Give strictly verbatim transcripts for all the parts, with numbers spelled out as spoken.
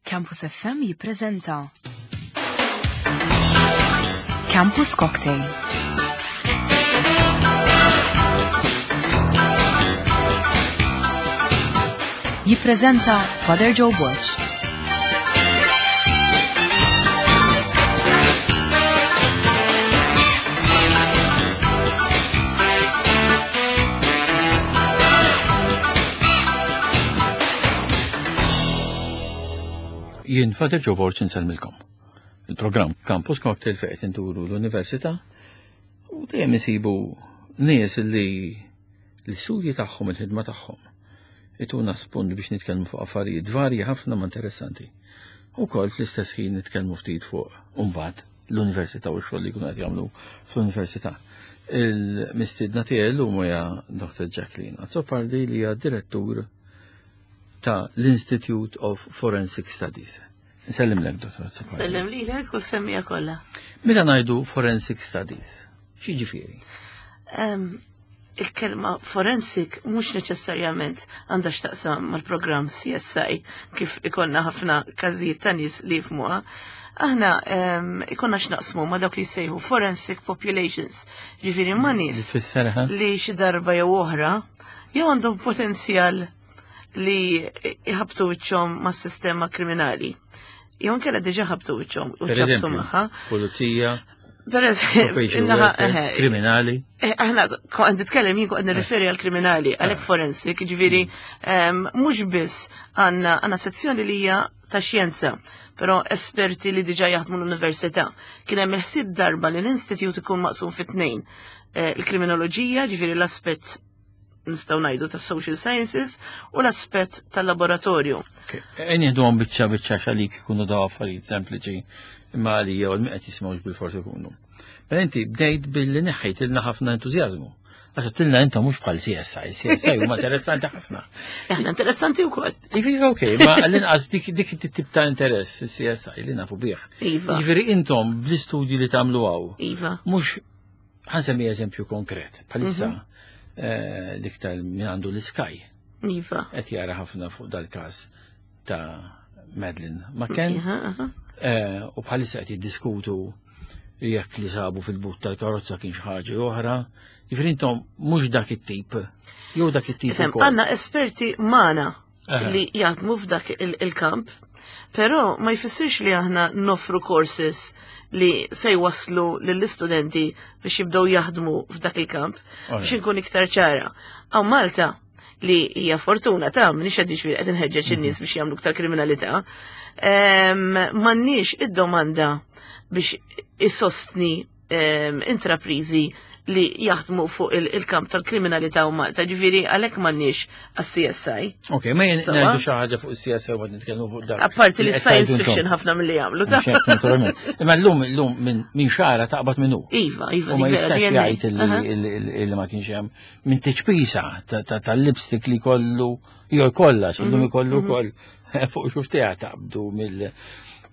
Campus F M jippreżenta Campus Cocktail. Jippreżenta Father Joe Borg. Jien Father Joe Borg insellmilkom. Il-programm Campus Cocktail fejn qed inturu l-università u dejjem isibu nies li l-istudji tagħhom, il-ħidma tagħhom ituna spunt biex nitkellmu fuq affarijiet varji ħafna ma interessanti. Ukoll fl-istess ħin nitkellmu ftit fuq imbagħad l-università u x-xogħol li jkunu qed jagħmlu fl-università. Il-mistiedna tiegħi llum hija Doctor Jacqueline Azzopardi li hija direttur ta' l-Institute of Forensic Studies. Nsellimlek, Dottor Azzopardi. Sellem lilek u semmija kollha. Meta ngħidu Forensic Studies, x'jiġifieri? Em, il-kelma forensic mhux neċessarjament għandha x'taqsam mal-programm C S I kif ikonna ħafna każijiet ta' nies li jifhmuha. Aħna, em, ikonna x'naqsmu ma' dawk li jsejħu forensic populations, ġifieri ma' nies Li tfisser, ha? li xi darba jew oħra jew għandhom potenzjal li jħabtu wiċċhom mas-sistema kriminali. Jew inkella diġà ħabtu wiċċhom u Per ċabsu eżempju, magħha. Pulizija, Per eżempju, probation innaħa, workers, eħe, kriminali. Eh, aħna kont nitkellem jien kont nirriferi għal kriminali, għalhekk Eh. forensic, ġifieri, em, mhux biss għandna, għandna sezzjoni li hija ta' xjenza, però esperti li diġà jaħdmu l-università. Kien hemm il-ħsieb darba li l-istitut ikun maqsum fi tnejn. Eh, il-kriminoloġija, ġifieri l-aspett nistgħu ngħidu tas social sciences u l-aspett tal-laboratorju. Ejn nieħdu għom biċċa biċċa x'għalik ikunu daw affarijiet sempliċi imma għalija u l-min qed jisimgħu bil-forsi ikunu. Mela inti bdejt billi neħħejtilna ħafna entużjażmu. Għax għedtilna intom mhux bħal C S I, C S I huma interessanti ħafna. Aħna interessanti wkoll. Iva, ok, ma l-inqas dik, dik it-tip ta' interess C S I li nafu bih. Iva. Jiġifieri intom bl-istudji li tagħmlu hawn. Iva. Mhux ħansemmi eżempju konkret. Bħalissa, Mhm. eh, l-iktar min għandu l-Sky. Iva. Qed jara ħafna fuq dal-każ ta' Madeleine McCann. Iva, aha. Eh, u bħalissa qed jiddiskutu jekk li sabu fil-but tal-karozza kien xi ħaġa oħra. Jiġifieri intom mhux dak it-tip, jew dak it-tip Ifhem, ukoll. Għandna esperti magħna Aha. li jaħdmu f'dak il-, il-kamp, però ma jfissirx li aħna nofru courses li se jwasslu lill-istudenti biex jibdew jaħdmu f'dak il-kamp, Alright. biex inkun iktar ċara. Hawn Malta li hija fortuna ta' minix qed jiġifieri qed inħeġġeġ in-nies biex jagħmlu iktar kriminalità, em, m'għandniex id-domanda biex isostni, em, intraprizi li jaħdmu fuq il-, il-kamp tal-kriminalità u Malta, ġifieri għalhekk m'għandniex għas-C S I. Ok, ma jien Sawa? ngħidu xi ħaġa fuq is-C S I u qed nitkellmu fuq dak. Apparti li Li qed science tgħidu intom. fiction ħafna milli jagħmlu, ta' Mhux hekk, naturalment. Imma llum, llum minn, minn xara taqbad minnu. Iva, iva, U ma dik vera, jistax D N A. jgħid illi, Aha. illi, illi, illi ma kienx hemm minn tiċpisa ta-, ta-, tal-lipstick li kollu jew jkollha, x'illum Mhm, ikollu mhm. wkoll fuq xuftejha taqbdu mill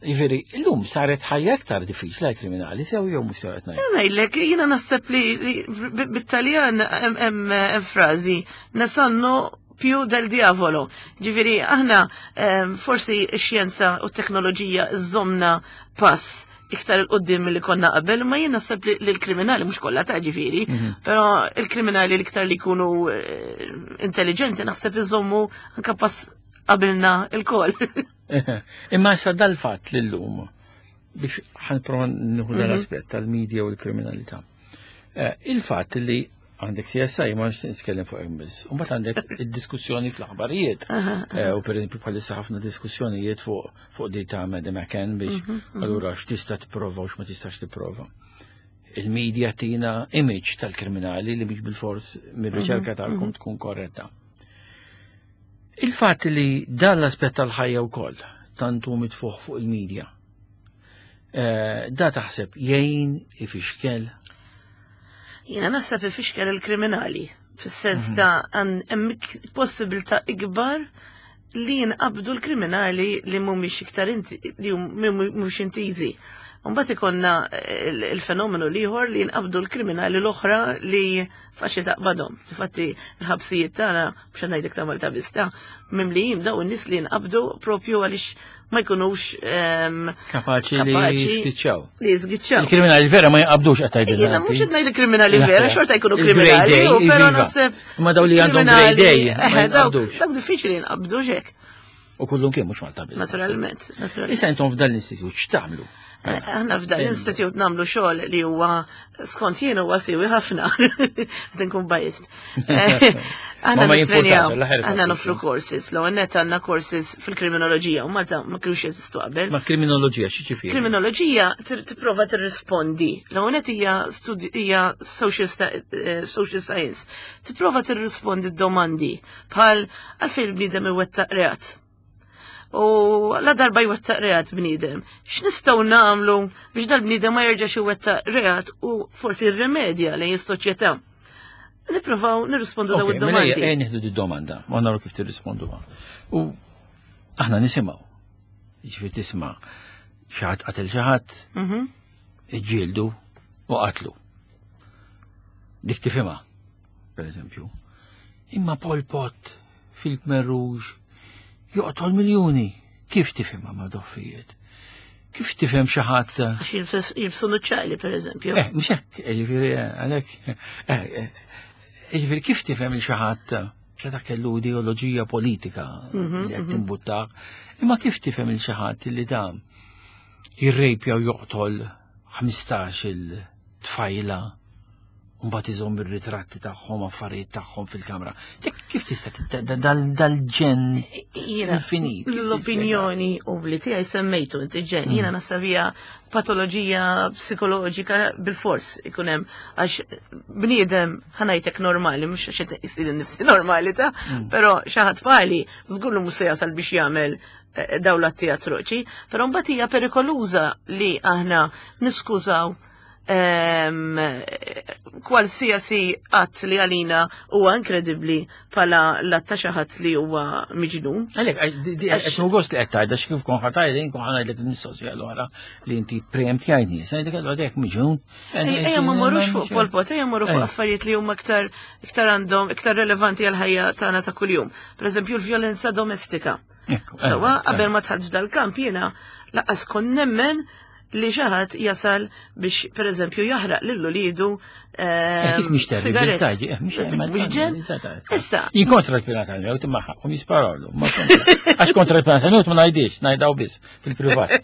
Jiġifieri, illum saret ħajja aktar diffiċli għal kriminali, sew jew mhux sew qed ngħid. Jiena ngħidlek, jiena naħseb li, li b-, bit-Taljan hemm, hemm, hemm frażi, ne sanno più del diavolo. Ġifieri, aħna, ehm, forsi x-xjenza u t-teknoloġija żomna pass iktar il-qoddim milli konna qabel, ma jien naħseb li, li l-kriminali mhux kollha ta' ġifieri, Mhm. però il-kriminali l-iktar li jkunu, eh, intelligenti naħseb iżommu anke pass qabilna il-koll. Imma issa dal-fatt li llum biex ħanprova nieħu Mhm. dal-aspett tal-medja u l-kriminalità. Eh, il-fatt li għandek C S I ma nix nitkellem fuq hemm biss. U mbagħad għandek id-diskussjoni fl-aħbarijiet. Aha, aha. Eh, u per eżempju bħalissa ħafna diskussjonijiet fuq, fuq di ta' Madeleine McCann biex Mhm, mhm. allura x'tista' tipprova u x'ma tistax tipprova. Il-medja tina image tal-kriminali li mhix bil-fors mir-riċerka Mhm, tagħkom mhm. tkun korretta. Il-fatt li dan l-aspett tal-ħajja wkoll tant hu mitfuħ fuq il-medja. Eh, da taħseb jgħin ifixkel? Jiena naħseb ifixkel il-kriminali, fis-sens Mhm. ta' għan-, hemm ik-, possibilità ikbar li jinqabdu l-kriminali li mhumiex iktar inti, li hum-, mhumiex intiżi. Mbagħad ikonna il-, il-fenomenu l-ieħor li jinqabdu l-kriminali l-oħra li faċli taqbadhom. Infatti l-ħabsijiet tagħna, biex ngħidlek ta' Malta biss, ta' mimlijin daw in-nies li jinqabdu propju għaliex ma jkunux ehm, Kapaċi li Kapaċi. jispiċċaw. li jiżgiċċaw. Il-kriminali vera ma jinqabdux qed tgħidilna. Jiena mhux qed ngħid kriminali Le, vera, le. xorta jkunu Il-grade kriminali, A, u però iva. naħseb. Ma daw li għandhom grade A, ma eh, dawk jinqabdux. dawk diffiċli jinqabdu xek, U kullum kien mhux Malta biss. naturalment. naturalment. Issa intom f'dan l-istitut x'tagħmlu? Eh, Aħna f'dan l-istitut nagħmlu xogħol li huwa skont jien huwa siwi ħafna. Qed inkun biased. Eh, Aħna Ma ma nittrenjaw, jimpurtax, l-aħħar aħna tagħtu nofru courses, l net għandna courses fil-kriminoloġija u Malta ma kienux jeżistu qabel. Ma kriminoloġija xi ġifieri? Kriminoloġija tir- tipprova tirrispondi. L-ewwel hija studi- hija social, sta- eh, social science. Tipprova tirrispondi domandi bħal għalfejn il-bniedem iwettaq reat. U la darba jwettaq reat bniedem. X'nistgħu nagħmlu biex dal-bniedem ma jerġax iwettaq reat u forsi rrimedja lejn is-soċjetà. Nippruvaw nirrispondu daw Ok, mela id-domandi. ejja nieħdu di domanda, ma naraw kif tirrisponduha. U aħna nisimgħu. Jiġifieri tisma' xi ħadd qatel xi ħadd, Mhm. iġġieldu u qatlu. Dik tifhimha, per eżempju. Imma Pol Pot fil-Khmer Rouge joqtol miljuni. Kif tifhimha ma' doffijiet? Kif tifhem xi ħadd Għax jilbs- jilbsu nuċċali, per eżempju. Eh, mhux hekk, jiġifieri għalhekk eh, eh, jiġifieri kif tifhem il xi ħadd xi kellu ideoloġija politika li qed timbuttah, imma kif tifhem il xi ħadd li da jirrejpja u joqtol ħmistax il-tfajla u mbagħad iżomm ir-ritratti tagħhom affarijiet tagħhom fil-kamra. Dik kif tista' tit- dal- dal-ġenn Jiena, infinit? Kif l-opinjoni u li tiegħi semmejtu inti ġen, jiena naħseb hija patoloġija psikoloġika bil-fors ikun hemm għax bniedem ħa ngħidlek normali, mhux għax qed isir nifsi normali ta' però xi ħadd bħali żgur li mhux se jasal biex jagħmel eh, dawn l-atti atroċi, però mbagħad hija perikoluża li aħna niskużaw ehm, kwalsiasi att li għalina huwa inkredibbli bħala l-att ta' xi ħadd li huwa miġnun. Għalek, qed gost li qed tgħidha kif kon ħa tgħidha jien kon ħa ngħidlek il-mistoqsija l-oħra li inti preemptjajni. Sa ngħidlek allura dek miġun. Ejja ma morrux fuq Pol Pot, ejja morru fuq Ejja. affarijiet li huma iktar iktar għandhom iktar relevanti għal ħajja tagħna ta' kuljum. Per eżempju l-vjolenza domestika. Sawa, qabel ma dħalt f'dal-kamp jiena lanqas kont nemmen li xi ħadd jasal biex per eżempju jaħraq lil ulidu Dik mhix sigaret. terribilità, Mhux ġen? Issa, Jien kontra l-pena tal-mewt imma ħaqhom jisparawlu. ma kontra. Għax kontra l-pena tal-mewt ma ngħidix, ngħidaw biss fil-privat.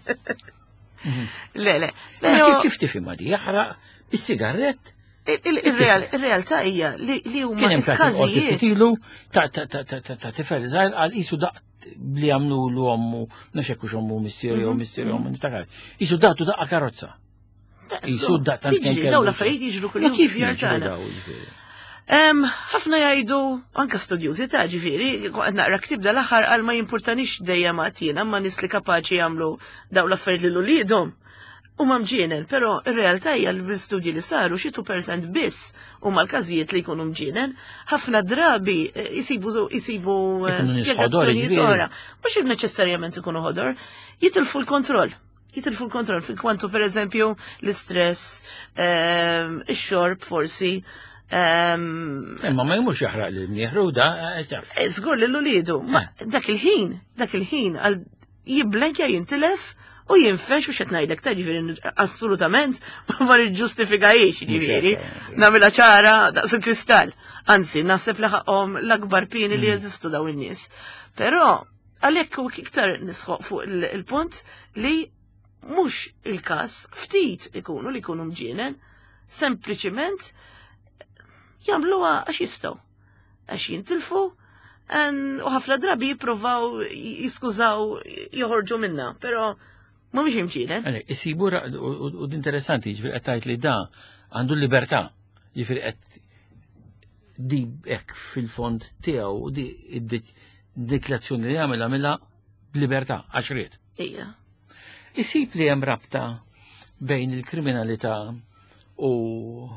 le, le. Ma Però kif- Kif tifhimha di jaħraq bis-sigarett? il- il- il-real- il-realtà hija li li huma Kien hemm każ il-qorti il-każijiet. ftit ilu ta' ta' ta' ta' ta' ta' tifel żgħir għal qisu daq li għamlu l ommu, nafx hekk hux ommu missieri jew missieri ommu niftakar. Qisu daqtu daqqa karozza. Qisu daq tant kemm Tiġri, kellu. dawn l-affarijiet jiġru Ma kuljum kif fid-djar jiġru tagħna. daw, jiġifieri? Em, ħafna jgħidu, anka studjużi ta' ġifieri, qed naqra ktib dal-aħħar għal ma jimpurtanix dejjem għatina, ma nies li kapaċi jagħmlu dawn l-affarijiet lil uliedhom. U ma mġienen, però ir-realtà hija li bil-studji li saru xi two percent biss huma l-każijiet li jkunu mġienen. Ħafna drabi eh, jisibu jisibu eh, Ikunu nies ħodor, spjegazzjonijiet jiġifieri. oħra. Mhux neċessarjament ikunu ħodor, jitilfu l-kontroll. Jitilfu l-kontroll fil kwantu per eżempju l-istress, ehm, ix-xorb forsi, ehm, Imma ma jmurx jaħraq lil mnieħru da, eh, taf. Eh, Żgur li l-ulidu, ma dak il-ħin, dak il-ħin għal jiblenkja jintilef u jinfex u xet ngħidlek ta' ġifieri assolutament ma niġġustifikajiex ġifieri. hekk, Nagħmilha ċara daqs il-kristall. Anzi, naħseb li ħaqhom l-akbar pieni li jeżistu daw in-nies. Però għalhekk u iktar nisħoq fuq il- il-punt li mhux il-każ ftit ikunu li jkunu mġienen, sempliċiment jagħmluha għax jistgħu. Għax jintilfu en- u ħafna drabi jippruvaw jiskużaw joħorġu minna, però mhumiex imġienen. Għalek, isibu ra- u u- u interessanti, ġifieri qed tgħid li da għandu l-libertà, ġifieri qed di hekk fil-fond tiegħu di id-diklazzjoni li jagħmel għamilha b'libertà għax ried. Ija. Isib li hemm rabta bejn il-kriminalità u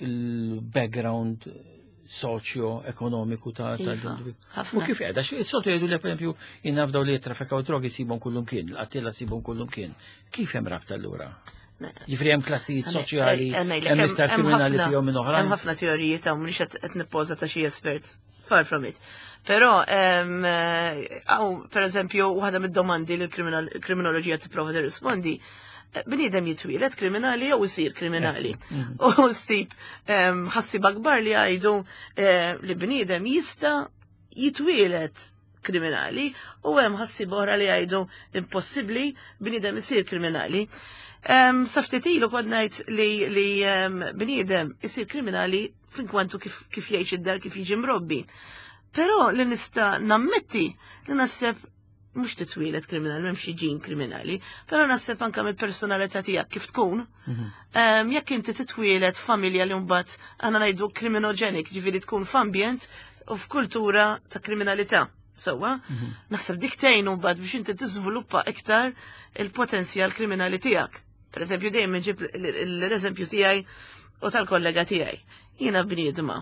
il-background soċjo-ekonomiku ta' ta' Iva, U ħafna. kif qiegħda, xi soltu jgħidu li pereżempju jinnafdaw li jittrafikaw drogi sibhom kullum kien, l-qattila sibhom kullum kien. Kif hemm rabta allura? Ġifieri hemm klassijiet soċjali, Eh, eh, ngħidlek, hemm iktar hemm kriminali ħafna- fihom minn oħrajn. Hemm ħafna teoriji ta' mhux qed qed nippoża ta' xi espert Far from it. Però, għaw, per eżempju, waħda mid-domandi li l-kriminoloġija tipprova tirrispondi, bniedem jitwieled kriminali jew isir kriminali. Mhm. U ssib ħassieba kbar li jgħidu eh, li bniedem jista' jitwieled kriminali u hemm ħassieba oħra li jgħidu impossibbli bniedem isir kriminali. Um, Sa ftit ilu kont ngħid li, li um, bniedem isir kriminali f'inkwantu kif, kif jgħix id-dar, kif jiġi mrobbi. Però li nista' nammetti li naħseb mhux titwieled kriminali, m'hemmx xi ġin kriminali, però naħseb anke mill-personalità tiegħek kif tkun. Mhm. Um, jekk inti titwieled familja li mbagħad għandna ngħidu criminogenic, ġifieri tkun f'ambjent u f'kultura ta' kriminalità. Sewwa, Mhm. naħseb dik tgħin mbagħad biex inti tiżviluppa iktar il-potenzjal kriminali tiegħek. Per eżempju, dejjem nġib l-eżempju tiegħi u tal-kollega tiegħi. Jiena bniedma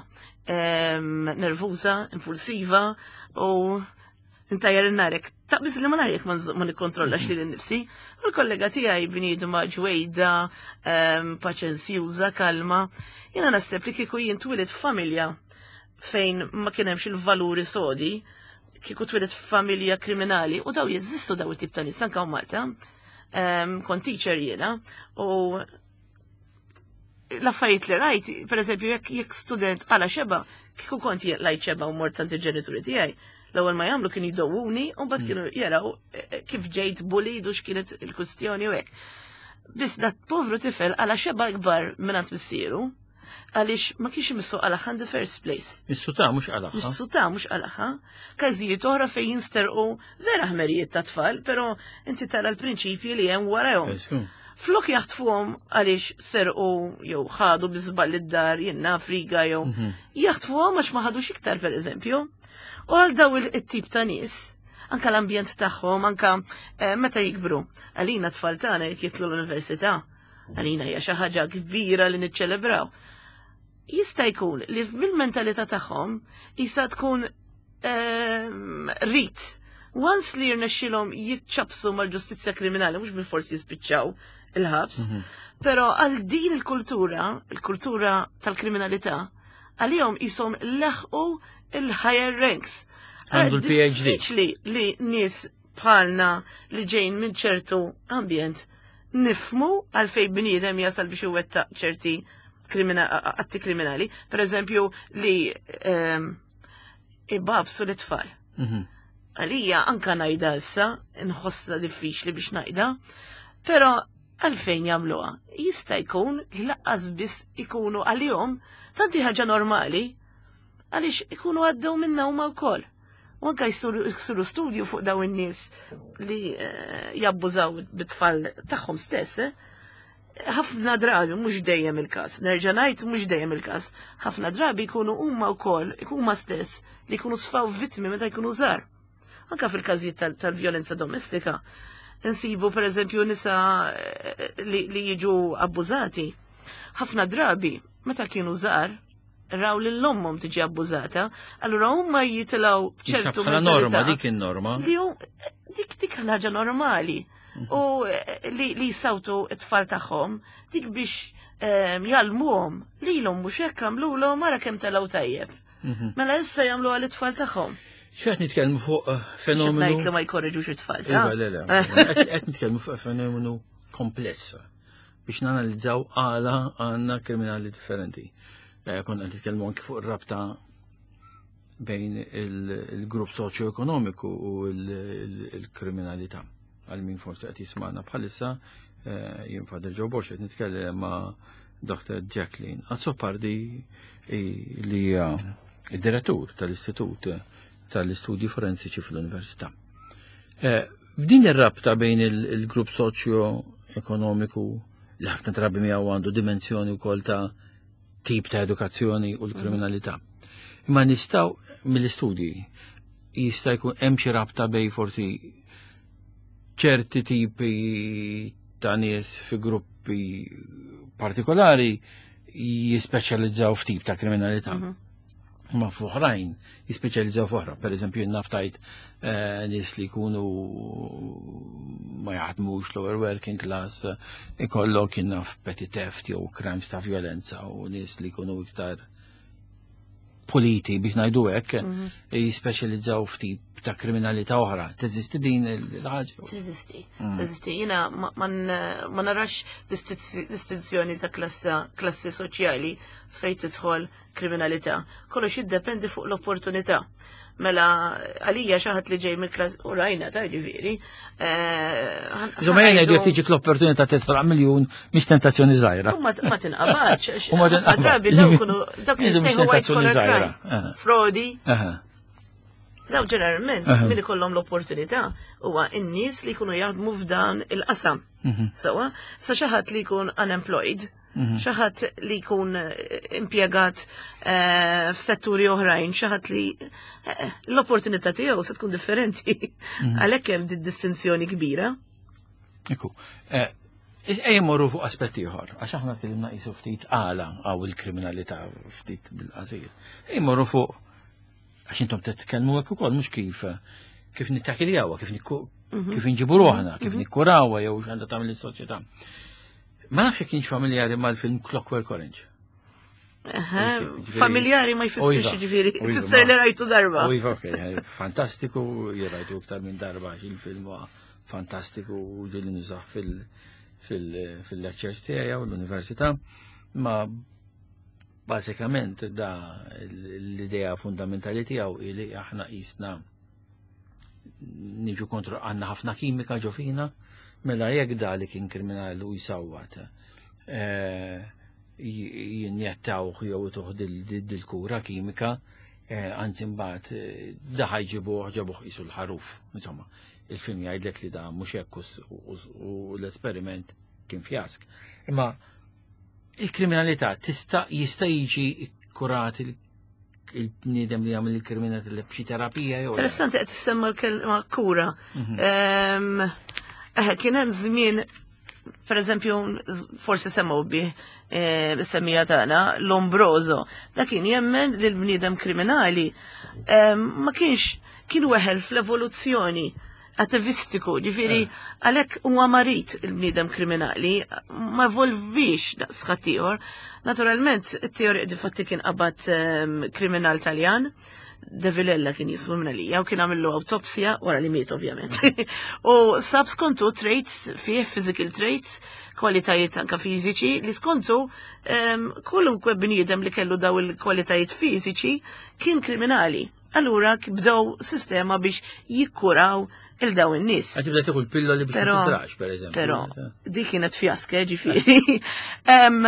em, nervuża, impulsiva u ntajjar in-narek. Taqbiż li ma narek ma nż- ma nikkontrollax lili nnifsi. U l-kollega tiegħi bniedma ġwejda, em, paċenzjuża, kalma. Jiena naħseb li kieku jien twelidt familja fejn ma kien hemmx il-valuri sodi, kieku twelidt familja kriminali u daw jeżistu daw it-tip ta' nies anke hawn Malta. Em, kont teacher jiena u l-affarijiet li rajt, per eżempju, jekk jekk student għala xeba, kieku kont jien qlajt xeba u mort għand il-ġenituri tiegħi, l-ewwel ma jagħmlu kienu jdowuni u mbagħad kienu jaraw eh, kif ġejt bullied u x'kienet il-kwistjoni u hekk. Biss dat povru tifel qala' xeba ikbar minn għand missieru, għaliex ma kienx imissu qalagħha in the first place. Missu ta' mhux qalagħha. Missu ta' mhux qalagħha. Każijiet oħra fejn jinsterqu vera ħmerijiet ta' tfal, però inti tara l-prinċipji li hemm warahom. Esku. Flok jaħtfuhom għaliex serqu jew ħadu bi żball id-dar, jenna friga jew Mhm. jaħtfuhom għax ma ħadux iktar per eżempju. U għal daw il-tip ta' nies, anka l-ambjent tagħhom, anka eh, meta jikbru. Għalina tfal tagħna jekk jidħlu l-università, għalina hija xi ħaġa kbira li niċċelebraw. Jista' jkun li mill-mentalità tagħhom jista' tkun ehm, rit. Once li jirnexxilhom jitċabsu mal-ġustizzja kriminali, mhux bil-forsi jispiċċaw il-ħabs, Mhm. però għal din il-kultura, il-kultura tal-kriminalità, għalihom jisom leħqu il-higher ranks. Għandu l-P H D. Diffiċli li nies bħalna li ġejn minn ċertu ambjent nifhmu għalfejn bniedem jasal biex iwettaq ċerti krimina- atti kriminali. Per eżempju, li ehm, ibabsu l-tfal. Mhm. Għalija anka ngħidha issa, nħossha diffiċli biex ngħidha, però għalfejn jagħmluha? Jista' jkun li lanqas biss ikunu għalihom tanti ħaġa normali, għaliex ikunu għaddew minna huma wkoll. U anka jsiru jsiru studju fuq daw in-nies li eh, jabbużaw bit-tfal tagħhom stess, eh? Ħafna drabi, mhux dejjem il-każ, nerġa' ngħid mhux dejjem il-każ, ħafna drabi jkunu huma wkoll, huma stess li jkunu sfaw vittmi meta jkunu żgħar. Anka fil-każijiet tal- tal-vjolenza domestika, nsibu per eżempju nisa eh, li, li jiġu abbużati. Ħafna drabi, meta kienu żgħar, raw lil ommhom tiġi abbużata, allura huma jitilgħu ċertu Bħala norma, mentalità dik in-norma. li hu dik dik ħaġa normali u eh, li, li jsawtu it-tfal tagħhom dik biex ehm, jgħallmuhom lilhom mhux hekk għamlulhom, ara kemm telgħu tajjeb. Mhm. Mela issa jagħmlu għal it-tfal tagħhom. X'qed nitkellmu fuq eh, fenomenu. Ngħid li ma jkorreġux it-tfal. Iva, le, le. Qed qed nitkellmu fuq fenomenu kompless biex nanalizzaw għala għandna kriminali differenti. Eh, Konna qed nitkellmu anki fuq ir-rabta bejn il- il-grupp soċjo-ekonomiku u il- il- il-kriminalità. Għal min forsi qed jisma'na bħalissa, eh, jien Father Joe Borg qed nitkellem ma' Doctor Jacqueline Azzopardi i- li hija id-direttur tal-Istitut tal-Istudji Forensiċi fl-Università. Eh, F'din ir-rabta bejn il- il-grupp soċjo-ekonomiku li ħafna drabi miegħu għandu dimensjoni wkoll ta' tip ta' edukazzjoni u l-kriminalità. Imma nistgħu mill-istudji jista' jkun hemm xi rabta bejn forsi ċerti tipi ta' nies fi gruppi partikolari jispeċjalizzaw f'tip ta' kriminalità. Mhm. Ma f'oħrajn jispeċjalizzaw f'oħra. Per eżempju, naf tajt eh, nies li jkunu ma jaħdmux, lower working class, ikollok naf petty theft jew crimes ta' violenza u nies li jkunu iktar puliti biex ngħidu hekk jispeċjalizzaw f'tip ta' kriminalità oħra. Teżisti din il-ħaġa? Teżisti, teżisti. Jiena ma, ma, n- ma narax distizzi- distinzjoni ta' klassa, klassi soċjali fejn tidħol kriminalità. Kollox jiddependi fuq l-opportunità. Mela, għalija xi ħadd li ġej mill klass u rajna ta' ġifieri. eh, Insomma, jena jgħidu jekk tiġik l-opportunità tisraq miljun mhix tentazzjoni żgħira. U ma ma tinqabadx. U ma tinqabadx. Drabi daw kunu dak li Mhix sejħu white tentazzjoni collar żgħira. crime. Aha. Frodi, Aha. daw ġeneralment Aha. milli kollhom l-opportunità huwa n-nies li jkunu jaħdmu f'dan il-qasam. Mhm. Sawa, sa xi ħadd li jkun unemployed, Mhm. xi ħadd li jkun eh, impjegat eh, f'setturi oħrajn, xi ħadd li eh, l-opportunità tiegħu se tkun differenti. Mhm. Għalhekk hemm din distinzjoni kbira. Ekku. Eh, Ejja morru fuq aspetti ieħor, għax aħna tkellimna qisu ftit għala għaw il-kriminalità ftit bil-qasir. Ejja morru fuq għax intom titkellmu hekk ukoll mhux kif kif nittakiljawa, kif nikku kif inġibu ruħna, kif nikkurawha jew x'għandha tagħmel is-soċjetà. Ma nafx jekk kienx familjari mal-film Clockwork Orange. Aha, Ġifieri- Familjari ma U jfissirx iva, ġifieri, u iva, jfisser li ma- rajtu darba. U iva, ok, eh, fantastiku, jirajtu iktar minn darba, għax il-film huwa fantastiku u ġieli nużah fil- fil- fil-lectures tiegħi u l-università, ma bażikament da l-idea fundamentali tiegħu li aħna qisna niġu kontro għandna ħafna kimika ġo fina, mela jekk da li kien kriminali u jsawwat eh, jinjettawh jew tuħ dil-kura kimika, eh, anzi mbagħad eh, da ħajġibuh ġabuh qisu l-ħaruf. Insomma, il-film jgħidlek li da mhux hekk u u l-esperiment kien fjask. Imma il-kriminalità tista' jista' jiġi kurat il-bniedem li jagħmel il-kriminalità b'xi terapija jew le? Interessanti qed tissemma l-kelma kura. Mhm. Ehm, eh, Kien hemm żmien, per eżempju, forsi semgħu bih eh, semmija tagħna, Lombroso. Da kien jemmen li l-bniedem kriminali ehm, ma kienx kien weħel fl-evoluzzjoni atavistiku, ġifieri għalhekk huwa marit il-bniedem kriminali, ma evolvix daqs ħaddieħor. Naturalment, it-teorija difatti kien qabad ehm, kriminal Taljan, De Villella kien jismu minn għalija, u kien għamillu autopsja, wara li miet ovvjament. U sab skontu traits fih, physical traits, kwalitajiet anka fiżiċi, li skontu um, kwalunkwe bniedem li kellu daw il-kwalitajiet fiżiċi kien kriminali. Allura bdew sistema biex jikkuraw il daw in-nies. Għad tibda tieħu l-pilloli biex ma Però- tisrax, per eżempju. Però di kienet fjaska, ġifieri. Em,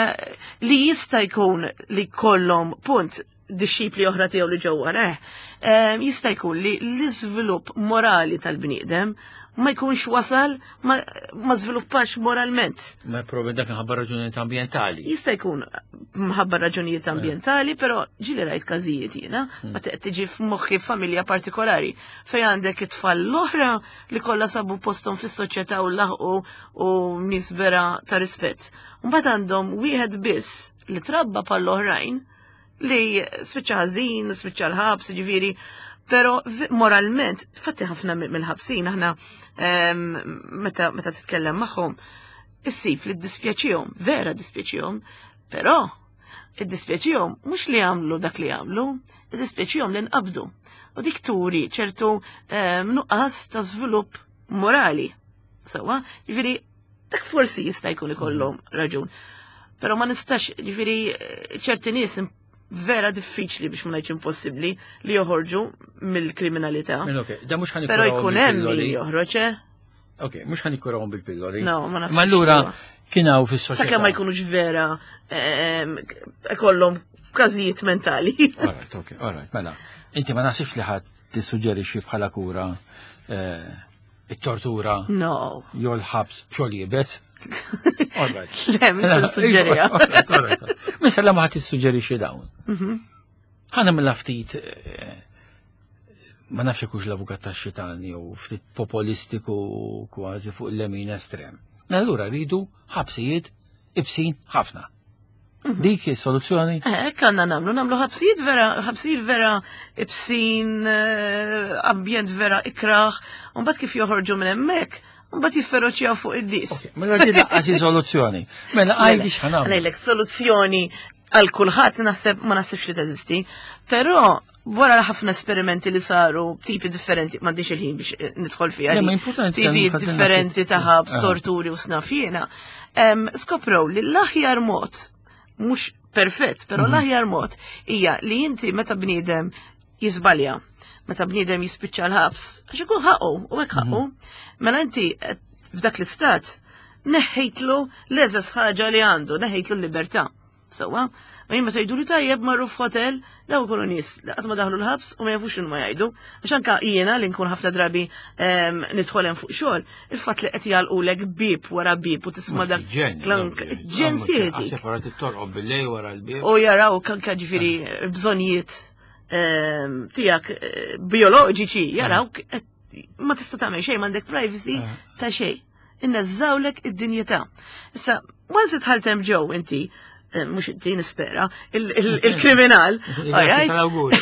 li jista' jkun li kollhom punt disċipli oħra tiegħu li ġew warah, em, jista' jkun li l-iżvilupp morali tal-bniedem ma jkunx wasal ma, ma żviluppax moralment. Ma probi dak minħabba raġunijiet ambjentali. Jista' jkun mħabba raġunijiet ambjentali, però ġieli rajt każijiet jiena, ma tiġi f'moħħi familja partikolari fejn għandek it-tfal l-oħra li kollha sabu posthom fis-soċjetà u laħqu u nies vera ta' rispett. Mbagħad għandhom wieħed biss li trabba bħall-oħrajn li spiċċa ħażin, spiċċa l-ħabs, ġifieri, pero moralment, fatti ħafna mill-ħabsin, aħna em, meta meta titkellem magħhom, issib li dispjaċihom, vera dispjaċihom, però id-dispjaċihom mhux li għamlu dak li għamlu, id-dispjaċihom li nqabdu. U dik turi ċertu em, nuqqas ta' żvilupp morali. Sawa, ġifieri dak forsi jista' jkun ikollhom raġun. Però ma nistax, ġifieri ċerti nies vera diffiċli biex ma ngħidx impossibbli li joħorġu mill-kriminalità. Mela, ok, da mhux ħa Però nikkurawhom jkun hemm li bil-pilloli. joħroġ, eh? Ok, mhux ħa nikkurawhom bil-pilloli. No, ma naħsibx Ma allura huwa. kien hawn fis-soċjetà. Sakemm ma jkunux vera ehm, ikollhom każijiet mentali. Alright, ok, alright, mela. Inti ma naħsibx li ħadd tissuġġerixxi bħala kura eh, it-tortura No. jew l-ħabs xogħol iebes. Alright. Le, mhux se nissuġġeriha. Alright, alright. Missa la ma ħadd tissuġġerixxi dawn. Mhm. Ħa nagħmilha ftit eh, ma nafx hux l-avukat tax-xitan jew ftit populistiku kważi fuq il-lemin estrem. Allura rridu ħabsijiet ibsin ħafna. Dik is-soluzzjoni? Eh, hekk għandna nagħmlu, nagħmlu ħabsijiet vera, ħabsijiet vera ibsin, eh, ambjent vera ikraħ, u mbagħad kif joħorġu minn hemmhekk, mbagħad jifferoċjaw fuq in-nies. Ok, mela di lanqas hi soluzzjoni. Mela għajdi x'ħa nagħmlu. Ngħidlek soluzzjoni Għal kulħadd naħseb ma naħsibx li teżisti, però wara ħafna esperimenti li saru, tipi differenti, m'għandix il-ħin biex eh, nidħol fiha. Le, di. ma importanti Tipi nitkellmu fadlilna differenti ftit. ta' ħabs, Ah. torturi u x'naf jiena. Em, Skoprew li l-aħjar mod, mhux perfett, però l-aħjar mod hija li inti meta bniedem jiżbalja, meta bniedem jispiċċa l-ħabs, għax ikun ħaqu, u hekk ħaqu, mela inti eh, f'dak l-istat neħħejtlu l-eżas ħaġa li għandu, neħħejtlu l-libertà. Sewwa, ma jien meta jgħidu li tajjeb marru f'hotel, daw ikunu nies li qatt ma daħlu l-ħabs u ma jafux x'inhu ma jgħidu. Għax anka jiena li nkun ħafna drabi em, nidħol hemm fuq xogħol, il-fatt li qed jagħlqulek bib wara bib u tisma' dak klank ġen sieti. Separat it-torqob bil-lejl wara l-bib. U jaraw anka ġifieri bżonnijiet em, tiegħek eh, bioloġiċi, jaraw qed- ma tista' tagħmel xejn m'għandek privacy Eh. ta' xejn. Inneżżawlek id-dinjità. Issa, once idħalt hemm ġew inti, eh, mhux inti nispera, il- il- il-kriminal, alright? Tal-awguri.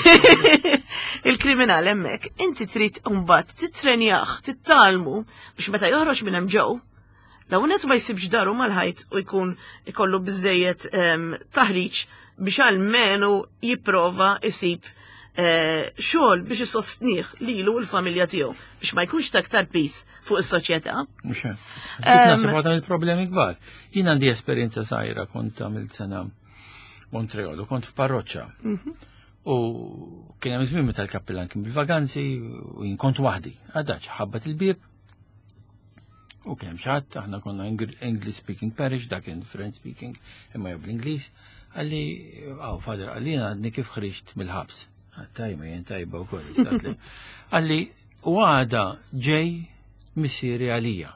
Il-kriminal hemmhekk, inti trid mbagħad titrenjah, tittalmu biex meta joħroġ minn hemm ġew, law net ma jsibx daru mal-ħajt u jkun ikollu biżejjed em, taħriġ biex almenu jipprova isib eh, xogħol biex isostnih lilu u l-familja tiegħu biex ma jkunx ta' aktar piż fuq is-soċjetà. Mhux hekk. Dik naħseb waħda mill-problemi kbar. Jien għandi esperjenza żgħira, kont għamilt sena Montreal u kont f'parroċċa. U kien hemm żmien meta l-kappillan kien bil-vaganzi u jien kont waħdi. Għadaċ ħabbat il-bieb. U kien hemm xi ħadd, aħna konna Engl- English speaking parish, dak kien French speaking, imma jew bl-Ingliż. Qalli, "Aw, father," qalli, "jiena għadni kif ħriġt mill-ħabs." Tajba, jien tajba u koll. Qalli, "U għada ġej missieri għalija."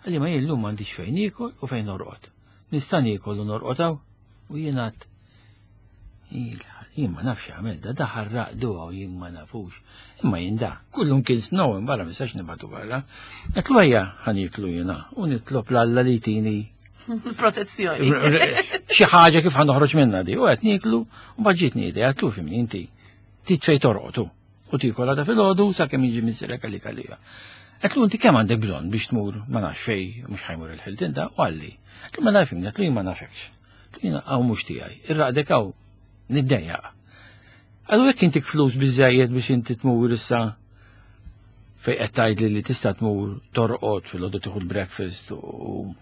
Qalli, "Ma jien llum m'għandix fejn niekol u fejn norqod. Nista' niekol u norqod hawn?" U jien għedt, jien ma nafx għamil da, da ħarraq duha u jien ma nafux. Imma jien da, kullum kien snow barra, ma nistax nibagħtu barra. Għedtlu, "Ejja ħa nieklu jiena u nitlob 'l Alla li jtini Protezzjoni. xi ħaġa kif ħa noħroġ minna di." U qed nieklu u baġġitni idea, għedtlu, "Fhimni, inti trid fejn torqotu u tiekol għada filgħodu sakemm jiġi missierek għalik għalija." Għedtlu, "Inti kemm għandek bżonn biex tmur ma nafx fej, mhux ħa jmur il-Hilton da?" U qalli. Għedtlu, "Mela fhimni," għedtlu, "jien ma nafekx. Jiena hawn mhux tiegħi, irraqdek hawn niddejjaq. Għallu jekk intik flus biżejjed biex inti tmur issa fej qed tgħidli li tista' tmur torqod filgħodu, tieħu l-breakfast u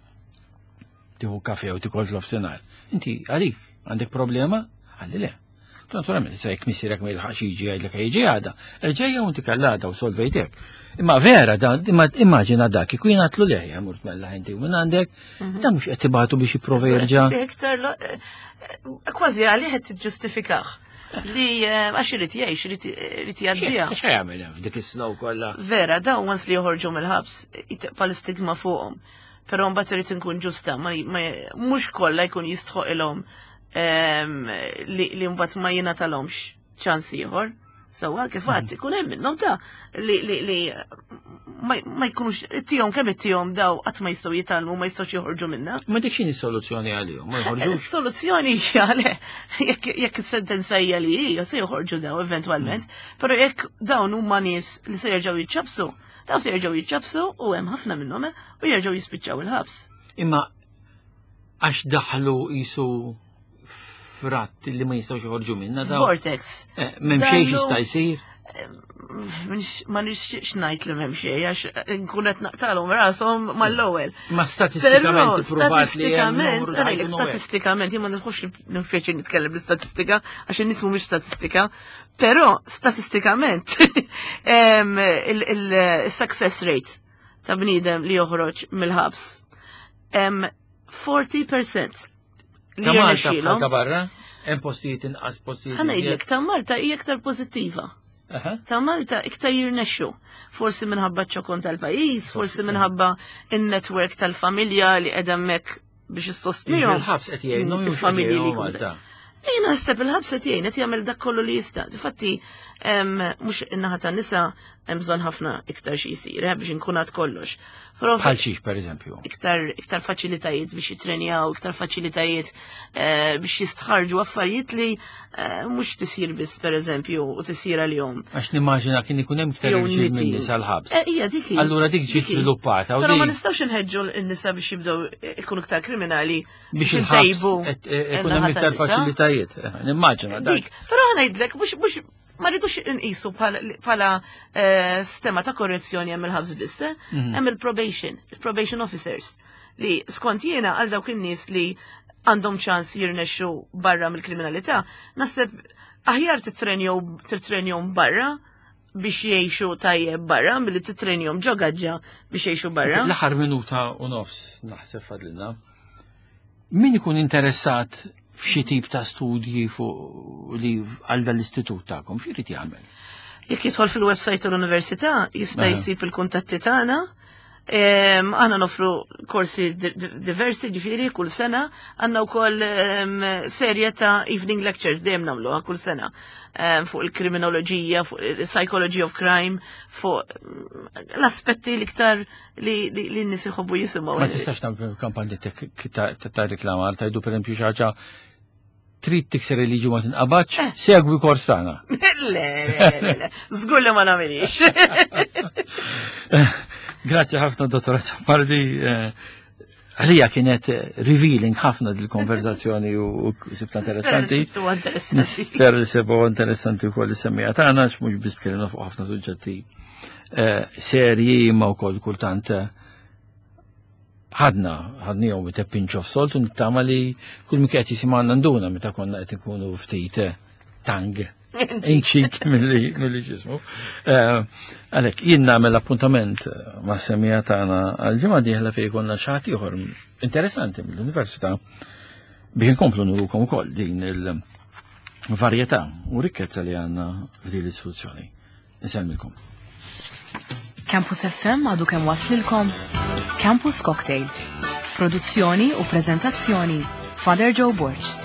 tieħu kafe u tikol fl-ofsinhar. Inti għalik għandek problema?" Qalli, "Le." Naturalment, sa jekk missierek ma jilħaqx jiġi jgħidlek jiġi għada, erġejja u inti kallada u solvejtek. Imma vera, da, imma immaġina dak, kieku jien għedtlu le, mort mella inti u minn għandek, da mhux qed tibatu biex jipprova jerġa'. Iktar lo- eh, eh, kważi għalih qed tiġġustifikah li eh, għax irid jgħix, irid irid jgħaddiha. X'ha jagħmel hemm f'dik is-snow kollha? Vera, dawn once li joħorġu mill-ħabs, jitqa' l-istigma fuqhom. Però mbagħad irid inkun ġusta, ma ma- mhux kollha jkun jistħoq ilhom em, li li mbagħad ma jingħatalhomx ċans ieħor. Sewwa kif għad ikun hemm minnhom ta' li li li ma ma jkunux ittihom kemm ittihom daw qatt ma jistgħu jitgħallmu, ma jistgħux joħorġu minna. Ma dik x'inhi soluzzjoni għalihom? Ma joħorġux. Is-soluzzjoni hija le, jekk jekk is-sentenza hija li hija se joħorġu daw eventwalment, però jekk dawn huma nies li se jerġgħu jiċċabsu, daw se jerġgħu jiċċabsu u hemm ħafna minnhom eh, u jerġgħu jispiċċaw il-ħabs. Imma għax daħlu jisu fratt li ma jistgħux joħorġu minna daw. Vortex. Eh, M'hemm xejn Daħlu- jista' jsir. Minx- Ma nixtieqx ngħid li m'hemm xejn għax nkun qed naqtalhom rashom mal-ewwel. Ma Però statistikament ippruvat li hemm statistikament, numru ta' għalek, ħajkunu hekk. statistikament, jien ma nħobbx nipjaċir nitkellem bl-istatistika, għax in-nies mhumiex statistika, però statistikament em, il- il-success rate ta' bniedem li joħroġ mill-ħabs em, erbgħin fil-mija li Ta' Malta bħal jirnexxielhom. ta' barra, hemm postijiet inqas, postijiet Ħa ngħidlek, ta' Malta hija aktar pożittiva. Aha. Ta' Malta iktar jirnexxu. Forsi minħabba ċokon tal-pajjiż, forsi minħabba in-network tal-familja li qed hemmhekk biex issostnihom. Il-ħabs qed jgħinhom jew Il-familji li jgħinhom jkunu- Malta? Jien naħseb il-ħabs qed jgħin, qed jagħmel dak kollu li jista'. Difatti em, mhux in-naħa tan-nisa hemm bżonn ħafna iktar xi jsir eh, biex inkun għad kollox. Però Bħal xiex, per eżempju. Iktar, iktar faċilitajiet biex jitrenjaw, iktar faċilitajiet eh, biex jistħarġu affarijiet li eh, mhux tisir biss, per eżempju, u tisir għal-jom. Għax nimmaġina kien ikun hemm iktar Jew irġiel niti. minn nisa l-ħabs. Eh, Ija, dik hi. Allura dik ġiet Dik hi. sviluppata u Però ma di nistgħux inħeġġu n-nisa biex jibdew ikunu iktar kriminali biex il-ħabs intejbu qed- eh, ikun hemm in-naħa iktar tan-nisa. faċilitajiet. Eh, Nimmaġina dak. Dik, però ħa ngħidlek, mhux mhux ma rridux inqisu bħala bħala eh, sistema ta' korrezzjoni hemm il-ħabs biss, eh? Mhm. Hemm il-probation, il-probation officers li skont jiena għal dawk in-nies li għandhom ċans jirnexxu barra mill-kriminalità, naħseb aħjar titrenjom titrenjom barra biex jgħixu tajjeb barra milli titrenjom ġo gaġġa biex jgħixu barra. L-aħħar minuta u nofs naħseb fadlilna. Min ikun interessat f'xi tip ta' studji fuq li għal dal-istitut tagħkom, x'irid jagħmel? Jekk jidħol fil-website tal-università jista' Aha. jsib il-kuntatti tagħna. Em, Aħna nofru korsi di- di- diversi, ġifieri kull sena, għandna wkoll em, serje ta' evening lectures dejjem nagħmluha kull sena Em, fuq il-kriminoloġija, fuq il-psychology of crime, fuq mm, l-aspetti l-iktar li li li n-nies iħobbu jisimgħu. Ma tistax tagħmel kampanja ta' ta' reklamar, tajdu per eżempju xi ħaġa trid tikser il-liġi ma tinqabadx, segwi kors tagħna. Le, le, le, le, żgur li ma nagħmilix. Grazzi ħafna, Dottor Azzopardi. Eh, Għalija kienet revealing ħafna dil-konverzazzjoni u u sibta interessanti. Nispera li interessanti. Nispera li sebu interessanti wkoll is-semmiegħa tagħna, għax mhux biss tkellimna fuq ħafna suġġetti eh, serji imma wkoll kultant eh, ħadna, ħadnihom with a pinch of salt u nittama li kull min qed jisimgħana nduna meta konna qed nkunu ftit eh, tongue in cheek milli milli ġismu. Eh, Għalhekk jien nagħmel appuntament ma' semmiegħa tagħna għal-ġimgħa dieħla fejn jkollna xi ħadd ieħor interessanti mill-università biex inkomplu nurukom ukoll din il-varjetà u rikkezza li għandna f'din l-istituzzjoni. Insellmilkom. Campus F M għadu kemm waslilkom Campus Cocktail. Produzzjoni u prezentazzjoni, Father Joe Borg.